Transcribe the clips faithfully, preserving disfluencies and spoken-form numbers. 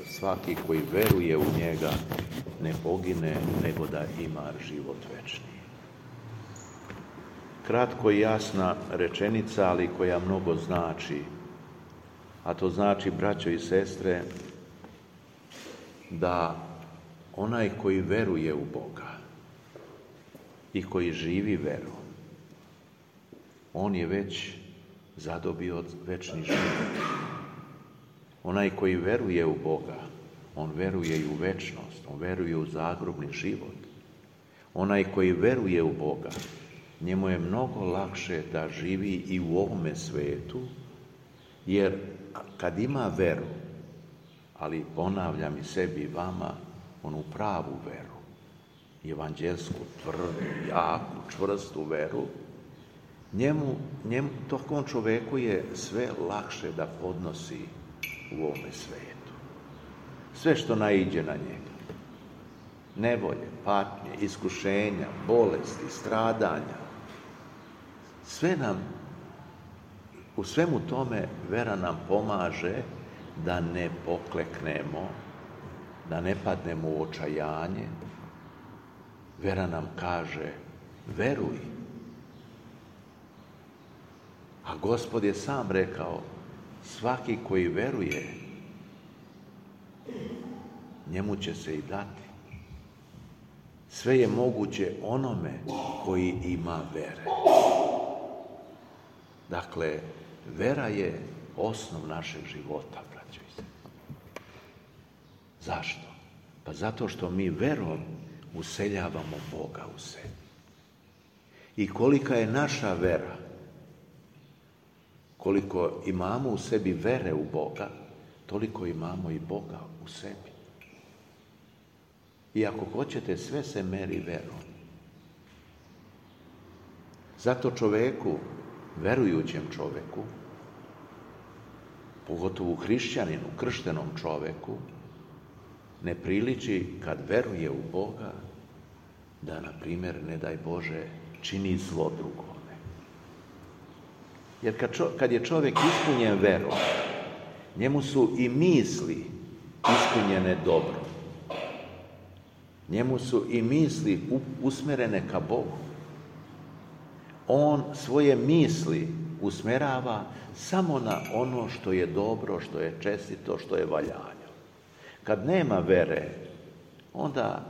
svaki koji veruje u njega ne pogine, nego da ima život večni. Kratko i jasna rečenica, ali koja mnogo znači. A to znači, braćo i sestre, da onaj koji veruje u Boga i koji živi veru, on je već zadobio večni život. Onaj koji veruje u Boga, on veruje i u večnost, on veruje u zagrobni život. Onaj koji veruje u Boga, njemu je mnogo lakše da živi i u ovome svetu, jer kad ima veru, ali ponavljam i sebi i vama, onu pravu veru, evanđelsku, tvrdu, jaku, čvrstu veru, njemu, njemu, tom čoveku je sve lakše da podnosi u ovome svetu. Sve što naiđe na njega. Nevolje, patnje, iskušenja, bolesti, stradanja. Sve nam, u svemu tome vera nam pomaže da ne pokleknemo, da ne padnemo u očajanje. Vera nam kaže, veruj. A Gospod je sam rekao, svaki koji veruje, njemu će se i dati. Sve je moguće onome koji ima vere. Dakle, vera je osnov našeg života, braćo i sestre. Zašto? Pa zato što mi verom useljavamo Boga u sebi. I kolika je naša vera, koliko imamo u sebi vere u Boga, toliko imamo i Boga u sebi. I ako hoćete, sve se meri verom. Zato čoveku, verujućem čoveku, pogotovo hrišćaninu, krštenom čoveku, ne priliči kad veruje u Boga da, na primjer, ne daj Bože, čini zlo drugome. Jer kad, čo, kad je čovjek ispunjen verom, njemu su i misli ispunjene dobro. Njemu su i misli usmjerene ka Bogu. On svoje misli usmjerava samo na ono što je dobro, što je čestito, što je valjano. Kad nema vere, onda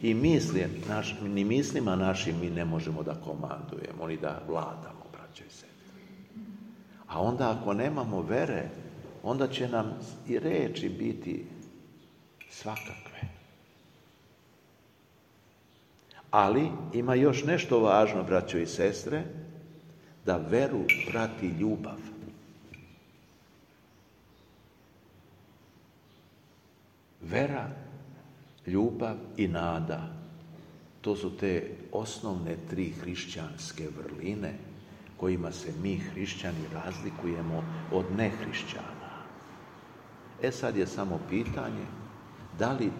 i misli, naš, ni mislima našim mi ne možemo da komandujemo, ni da vladamo, braćo i sestre. A onda ako nemamo vere, onda će nam i reči biti svakakve. Ali ima još nešto važno, braćo i sestre, da veru prati ljubav. Vera, ljubav i nada, to su te osnovne tri hrišćanske vrline kojima se mi hrišćani razlikujemo od nehrišćana. E sad je samo pitanje, da li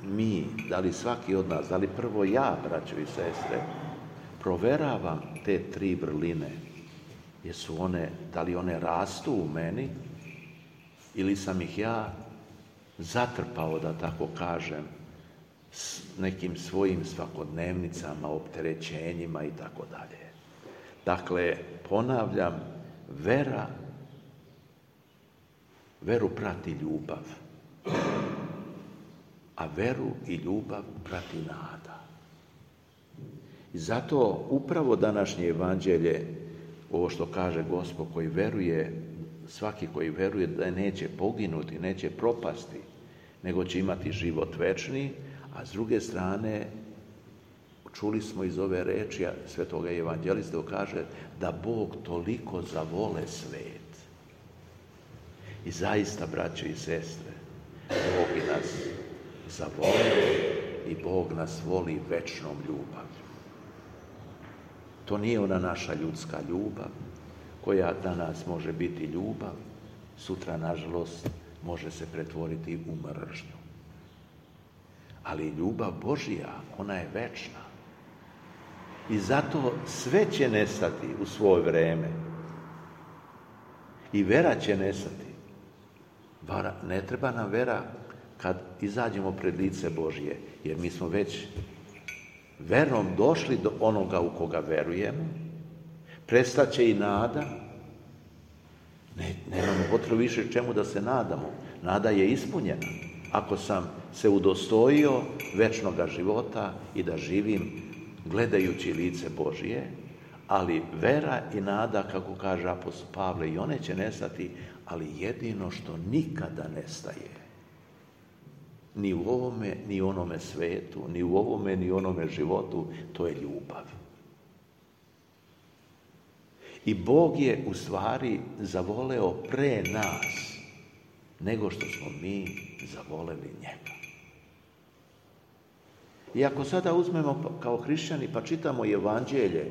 mi, da li svaki od nas, da li prvo ja, braćo i sestre, proveravam te tri vrline, jesu one, da li one rastu u meni, ili sam ih ja zatrpao, da tako kažem, s nekim svojim svakodnevnicama, opterećenjima i tako dalje. Dakle, ponavljam, vera, veru prati ljubav, a veru i ljubav prati nada. I zato upravo današnje evanđelje, ovo što kaže Gospod, koji veruje, svaki koji veruje da neće poginuti, neće propasti, nego će imati život večni, a s druge strane, čuli smo iz ove reči svetoga evanđelista, kaže da Bog toliko zavole svet. I zaista, braćo i sestre, Bog i nas zavolio i Bog nas voli večnom ljubavlju. To nije ona naša ljudska ljubav, koja danas može biti ljubav, sutra, nažalost, može se pretvoriti u mržnju. Ali ljubav Božja, ona je večna. I zato sve će nestati u svoje vreme. I vera će nestati. Ne treba nam vera kad izađemo pred lice Božje, jer mi smo već verom došli do onoga u koga verujemo, prestaće i nada, ne, nemamo potrebu više čemu da se nadamo, nada je ispunjena. Ako sam se udostojio večnoga života i da živim gledajući lice Božje, ali vera i nada, kako kaže apostol Pavle, i one će nestati, ali jedino što nikada nestaje, ni u ovome, ni u onome svetu, ni u ovome, ni u onome životu, to je ljubav. I Bog je u stvari zavoleo pre nas, nego što smo mi zavoleli njega. I ako sada uzmemo kao hrišćani pa čitamo evanđelje,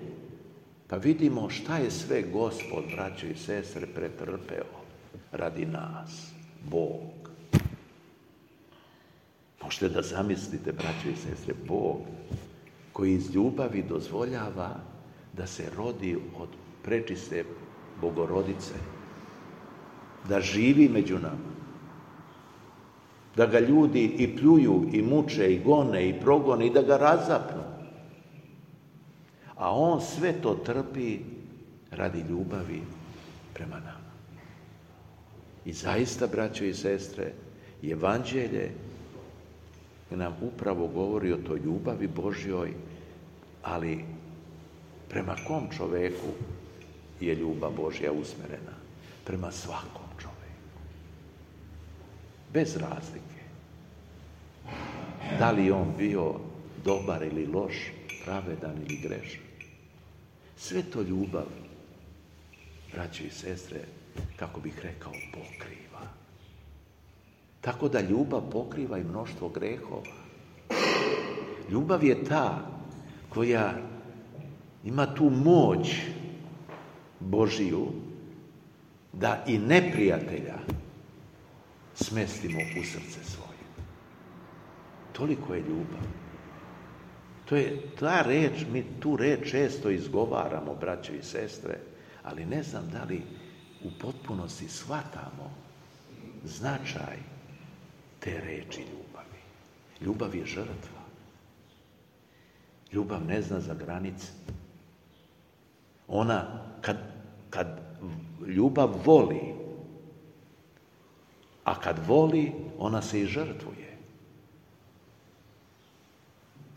pa vidimo šta je sve Gospod, braćo i sestre, pretrpeo radi nas, Bog. Možete da zamislite, braćo i sestre, Bog koji iz ljubavi dozvoljava da se rodi od prečiste Bogorodice, da živi među nama, da ga ljudi i pljuju, i muče, i gone, i progone, i da ga razapnu. A on sve to trpi radi ljubavi prema nama. I zaista, braćo i sestre, evanđelje nam upravo govori o toj ljubavi Božjoj, ali prema kom čoveku je ljubav Božja usmerena? Prema svakom čoveku. Bez razlike. Da li on bio dobar ili loš, pravedan ili grešan. Sve to ljubav, braćo i sestre, kako bih rekao, pokriva. Tako da ljubav pokriva i mnoštvo grehova. Ljubav je ta koja ima tu moć Božiju da i neprijatelja smestimo u srce svoje. Toliko je ljubav. To je ta reč, mi tu reč često izgovaramo, braćo i sestre, ali ne znam da li u potpunosti shvatamo značaj te reči ljubavi. Ljubav je žrtva. Ljubav ne zna za granice. Ona, kad, kad ljubav voli, a kad voli, ona se i žrtvuje.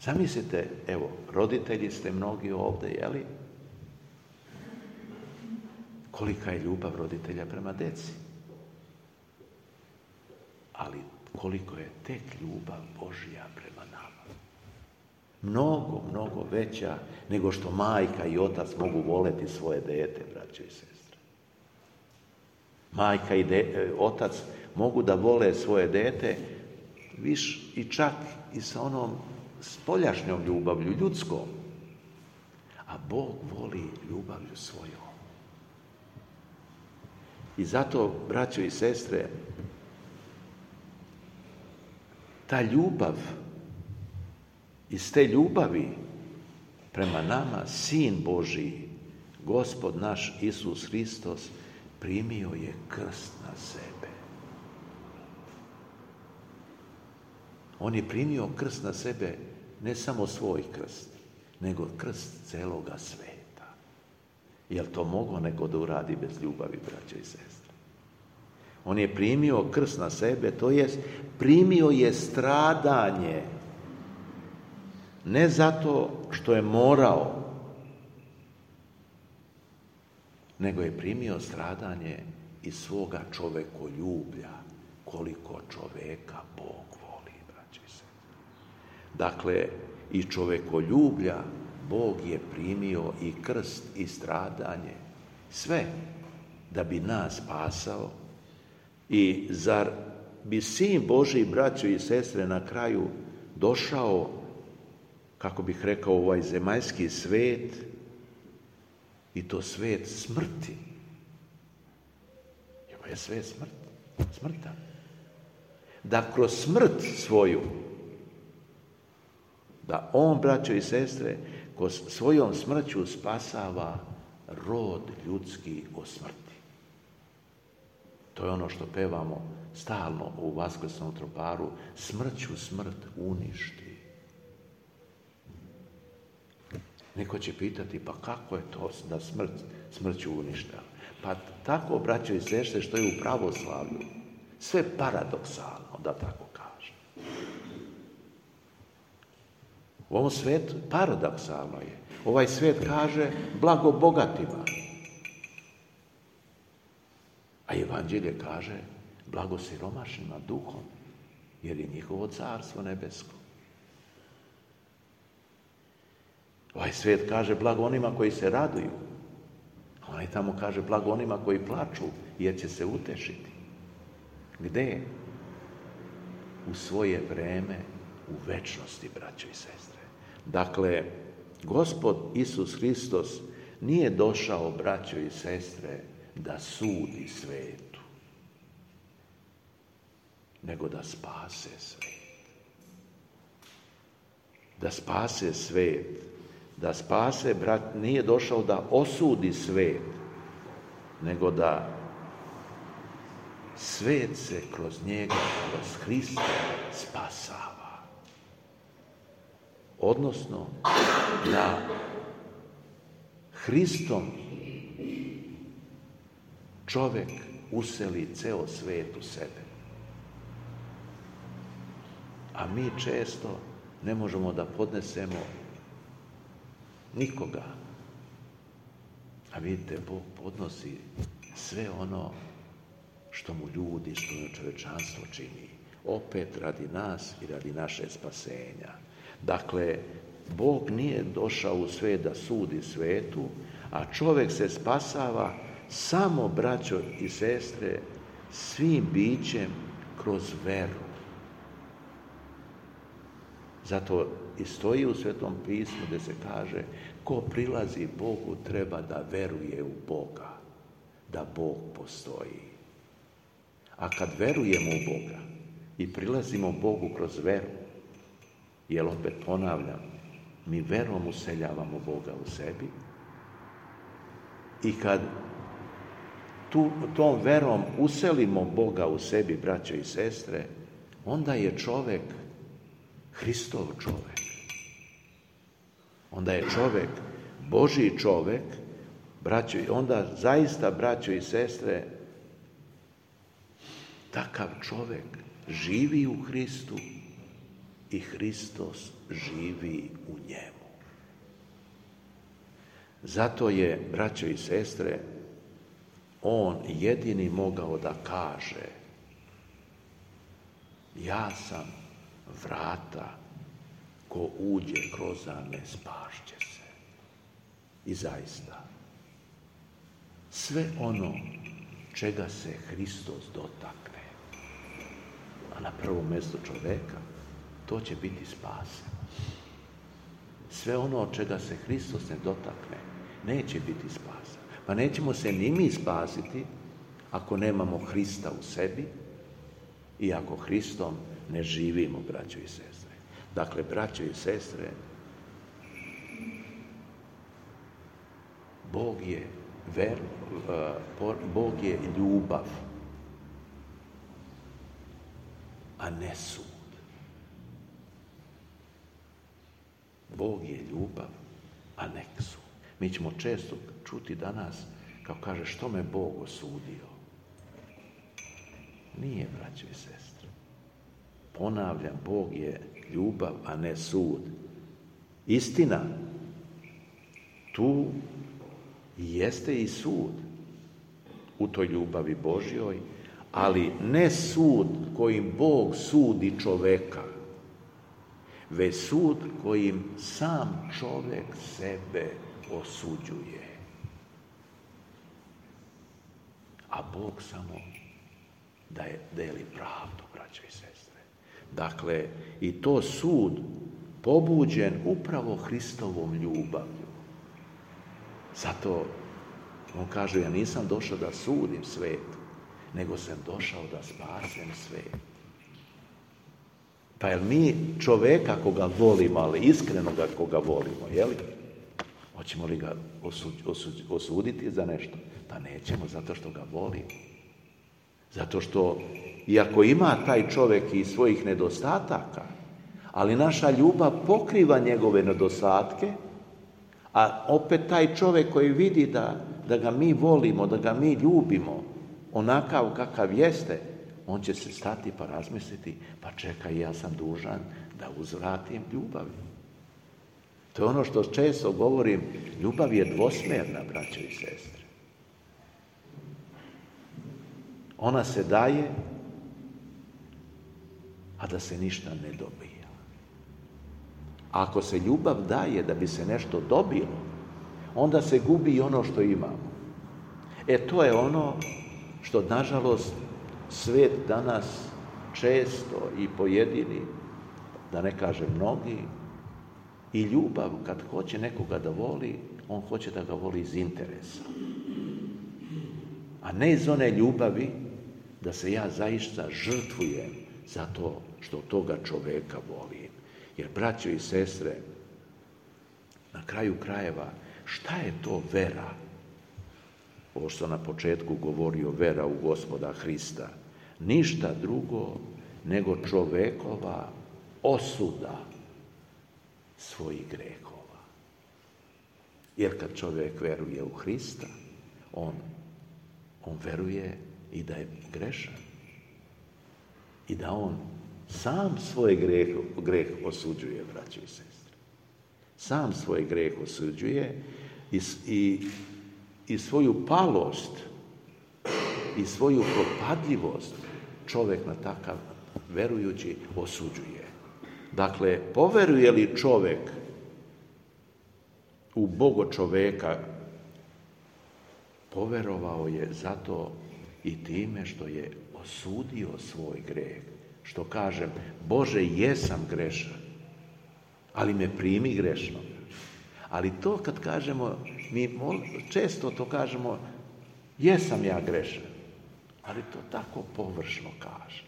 Zamislite, evo, roditelji ste mnogi ovdje, jeli? Kolika je ljubav roditelja prema deci. Ali koliko je tek ljubav Božja prema nama. Mnogo, mnogo veća nego što majka i otac mogu voleti svoje dete, braćo i sestre. Majka i de, otac mogu da vole svoje dete viš i čak i sa onom spoljašnjom ljubavlju, ljudskom. A Bog voli ljubavlju svojom. I zato, braćo i sestre, ta ljubav, iz te ljubavi prema nama, Sin Božiji, Gospod naš Isus Hristos, primio je krst na sebe. On je primio krst na sebe, ne samo svoj krst, nego krst celoga sveta. Jel to moglo nego da uradi bez ljubavi, braćo i sestre? On je primio krst na sebe, to jest primio je stradanje. Ne zato što je morao, nego je primio stradanje iz svoga čovekoljublja, koliko čoveka Bog voli, braćo i sestre. Dakle, iz čovekoljublja Bog je primio i krst i stradanje, sve da bi nas spasao. I zar bi Sin Božji, braćo i sestre, na kraju došao, kako bih rekao, ovaj zemaljski svet, i to svet smrti. Ovo je svet smrt, smrtan. Da kroz smrt svoju, da on, braćo i sestre, kroz svojom smrću spasava rod ljudski od smrti. To je ono što pevamo stalno u Vaskrsnom troparu, smrću smrt uništi. Neko će pitati, pa kako je to da smrt smrću uništa? Pa tako, braćo i sestre, što je u pravoslavlju. Sve paradoksalno, da tako kažem. U ovom svijetu paradoksalno je. Ovaj svijet kaže blago bogatima. A Evanđelje kaže blago siromašnima duhom, jer je njihovo carstvo nebesko. Ovaj svijet kaže blago onima koji se raduju. A onaj tamo kaže blago onima koji plaču, jer će se utešiti. Gde? U svoje vreme, u večnosti, braćo i sestre. Dakle, Gospod Isus Hristos nije došao, braćo i sestre, da sudi svetu, nego da spase svet. Da spase svet. Da spase, brat, nije došao da osudi svet, nego da svet se kroz njega, kroz Hrista spasava. Odnosno, da Hristom čovjek useli ceo svet u sebe. A mi često ne možemo da podnesemo nikoga. A vidite, Bog podnosi sve ono što mu ljudi, što mu čovječanstvo čini. Opet radi nas i radi naše spasenja. Dakle, Bog nije došao u svijet da sudi svetu, a čovjek se spasava samo, braćo i sestre, svim bićem kroz veru. Zato i stoji u Svetom pismu gdje se kaže ko prilazi Bogu treba da veruje u Boga, da Bog postoji. A kad verujemo u Boga i prilazimo Bogu kroz veru, jer opet ponavljam, mi verom useljavamo Boga u sebi i kad tu, tom verom uselimo Boga u sebi, braćo i sestre, onda je čovjek Hristov čovjek. Onda je čovjek, Božji čovjek, braćo, onda zaista, braćo i sestre, takav čovjek živi u Hristu i Hristos živi u njemu. Zato je, braćo i sestre, on jedini mogao da kaže ja sam vrata, ko uđe kroz me spašće se. I zaista, sve ono čega se Hristos dotakne, a na prvom mjestu čovjeka, to će biti spaseno. Sve ono čega se Hristos ne dotakne, neće biti spaseno. Pa nećemo se ni mi spasiti ako nemamo Hrista u sebi i ako Hristom ne živimo, braćo i sestre. Dakle, braćo i sestre, Bog je ver, Bog je ljubav, a ne sud. Bog je ljubav, a ne sud. Mi ćemo često čuti danas, kao kaže, što me Bog osudio? Nije, braćo i sestre. Ponavljam, Bog je ljubav, a ne sud. Istina, tu jeste i sud u toj ljubavi Božjoj, ali ne sud kojim Bog sudi čoveka, već sud kojim sam čovjek sebe osuđuje. A Bog samo daje, deli pravdu, braćo i sestre. Dakle, i to sud pobuđen upravo Hristovom ljubavlju. Zato on kaže, ja nisam došao da sudim svijet, nego sam došao da spasem svijet. Pa jel mi čovjeka koga volimo, ali iskreno ga koga volimo, jel? Hoćemo li ga osud, osud, osuditi za nešto? Pa nećemo, zato što ga volimo. Zato što, iako ima taj čovjek i svojih nedostataka, ali naša ljubav pokriva njegove nedostatke, a opet taj čovjek koji vidi da, da ga mi volimo, da ga mi ljubimo, onakav kakav jeste, on će se stati pa razmisliti, pa čekaj, ja sam dužan da uzvratim ljubavi. To je ono što često govorim, ljubav je dvosmjerna, braćo i sestre. Ona se daje, a da se ništa ne dobija. A ako se ljubav daje da bi se nešto dobilo, onda se gubi i ono što imamo. E to je ono što, nažalost, svijet danas često i pojedini, da ne kažem mnogi, i ljubav, kad hoće nekoga da voli, on hoće da ga voli iz interesa. A ne iz one ljubavi da se ja zaista žrtvujem zato što toga čoveka volim. Jer, braćo i sestre, na kraju krajeva, šta je to vera? Ovo što na početku govorio, vera u Gospoda Hrista. Ništa drugo nego čovekova osuda svojih grehova. Jer kad čovjek veruje u Hrista, on, on veruje i da je grešan. I da on sam svoj greh, greh osuđuje, braćo i sestre. Sam svoj greh osuđuje i, i, i svoju palost i svoju propadljivost čovjek na takav verujući osuđuje. Dakle, poveruje li čovjek u Bogo čoveka, poverovao je zato i time što je osudio svoj greh. Što kažem, Bože, jesam grešan, ali me primi grešno. Ali to kad kažemo, mi često to kažemo, jesam ja grešan, ali to tako površno kaže.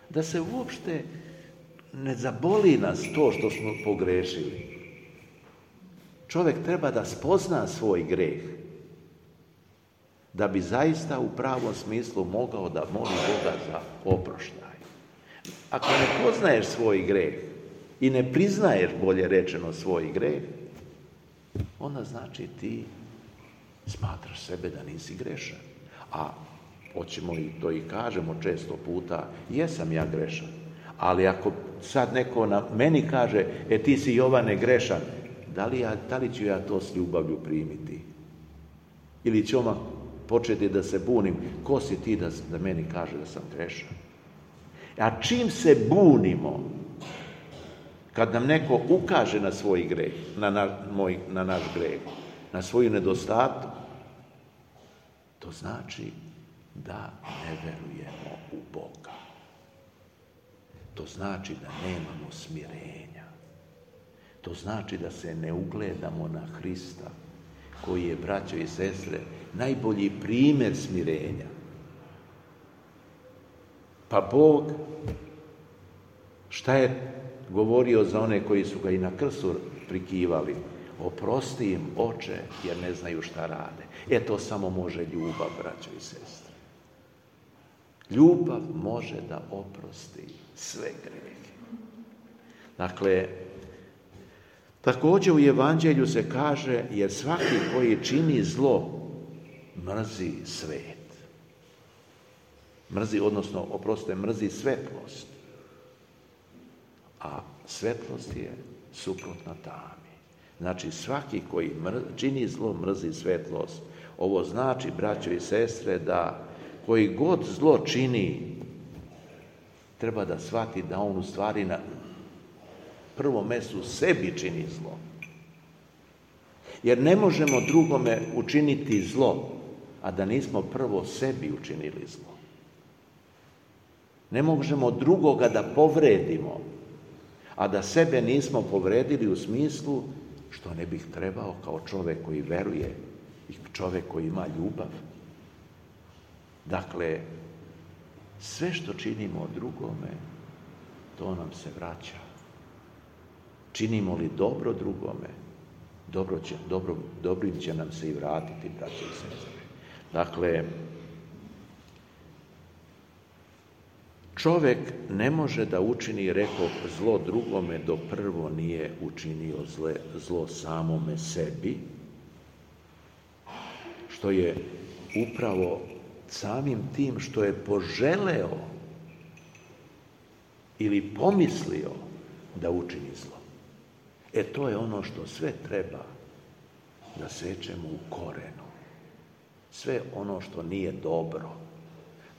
Da se uopšte ne zaboli nas to što smo pogrešili. Čovjek treba da spozna svoj greh, da bi zaista u pravom smislu mogao da moli Boga za oproštaj. Ako ne poznaješ svoj greh i ne priznaješ, bolje rečeno, svoj greh, onda znači ti smatraš sebe da nisi grešan. A hoćemo i to i kažemo često puta, jesam ja grešan. Ali ako sad neko na meni kaže, e ti si, Jovane, grešan, da li, ja, da li ću ja to s ljubavlju primiti? Ili ću odmah početi da se bunim, ko si ti da, da meni kaže da sam grešan? A čim se bunimo, kad nam neko ukaže na svoj greh, na, na, moj, na naš greh, na svoju nedostatku, to znači da ne verujemo u Boga. To znači da nemamo smirenja. To znači da se ne ugledamo na Hrista, koji je, braćo i sestre, najbolji primjer smirenja. Pa Bog, šta je govorio za one koji su ga i na krstu prikivali? Oprosti im, Oče, jer ne znaju šta rade. E to samo može ljubav, braćo i sestre. Ljubav može da oprosti sve grehe. Dakle, također u Evanđelju se kaže, jer svaki koji čini zlo mrzi svet. Mrzi, odnosno, oprostite, mrzi svetlost. A svetlost je suprotna tami. Znači, svaki koji mr, čini zlo mrzi svetlost. Ovo znači, braćo i sestre, da koji god zlo čini, treba da shvati da on u stvari na prvom mjestu sebi čini zlo. Jer ne možemo drugome učiniti zlo, a da nismo prvo sebi učinili zlo. Ne možemo drugoga da povredimo, a da sebe nismo povredili u smislu što ne bih trebao kao čovjek koji veruje i čovjek koji ima ljubav. Dakle, sve što činimo drugome, to nam se vraća. Činimo li dobro drugome, dobro će, dobro, dobrim će nam se i vratiti, braće i sestre. Dakle, Čovjek ne može da učini, rekao, zlo drugome dok prvo nije učinio zle, zlo samome sebi, što je upravo samim tim što je poželeo ili pomislio da učini zlo. E to je ono što sve treba da sečemo u korenu. Sve ono što nije dobro,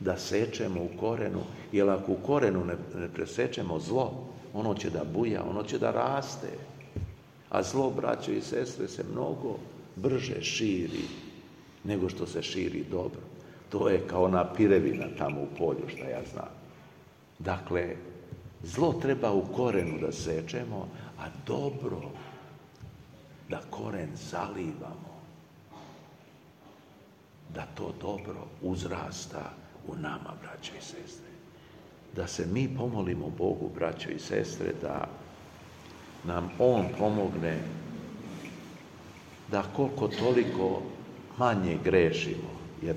da sečemo u korenu, jer ako u korenu ne, ne presečemo zlo, ono će da buja, ono će da raste. A zlo, braćo i sestre, se mnogo brže širi nego što se širi dobro. To je kao ona pirevina tamo u polju, što ja znam. Dakle, zlo treba u korenu da sečemo, a dobro da koren zalivamo, da to dobro uzrasta u nama, braćo i sestre. Da se mi pomolimo Bogu, braćo i sestre, da nam On pomogne da koliko toliko manje grešimo, jer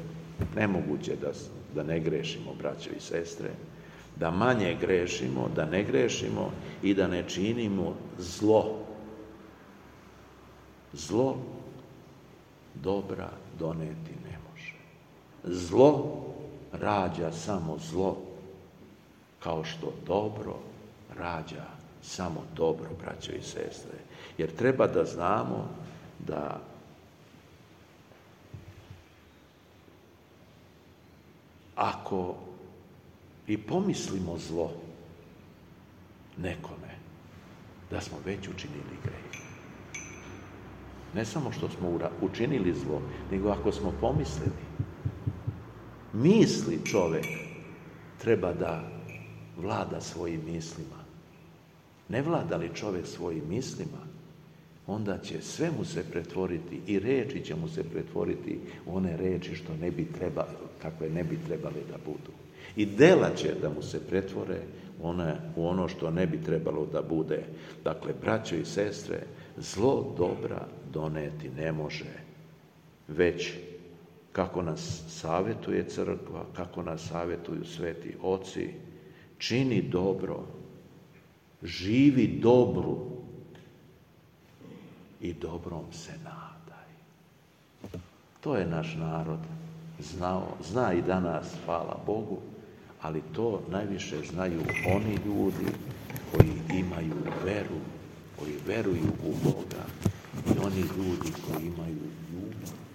nemoguće da, da ne grešimo, braćo i sestre, da manje grešimo, da ne grešimo i da ne činimo zlo. Zlo dobra doneti ne može. Zlo rađa samo zlo, kao što dobro rađa samo dobro, braćo i sestre. Jer treba da znamo da ako i pomislimo zlo nekome, da smo već učinili grijeh. Ne samo što smo učinili zlo, nego ako smo pomislili. Misli čovjek treba da vlada svojim mislima. Ne vlada li čovjek svojim mislima, onda će sve mu se pretvoriti i reči će mu se pretvoriti u one reči što ne bi trebali, kakve ne bi trebali da budu. I dela će da mu se pretvore one, u ono što ne bi trebalo da bude. Dakle, braćo i sestre, zlo dobra doneti ne može, već kako nas savjetuje crkva, kako nas savjetuju sveti oci, čini dobro, živi dobru i dobrom se nadaj. To je naš narod znao, zna i danas, hvala Bogu, ali to najviše znaju oni ljudi koji imaju veru, koji veruju u Boga i oni ljudi koji imaju ljubav.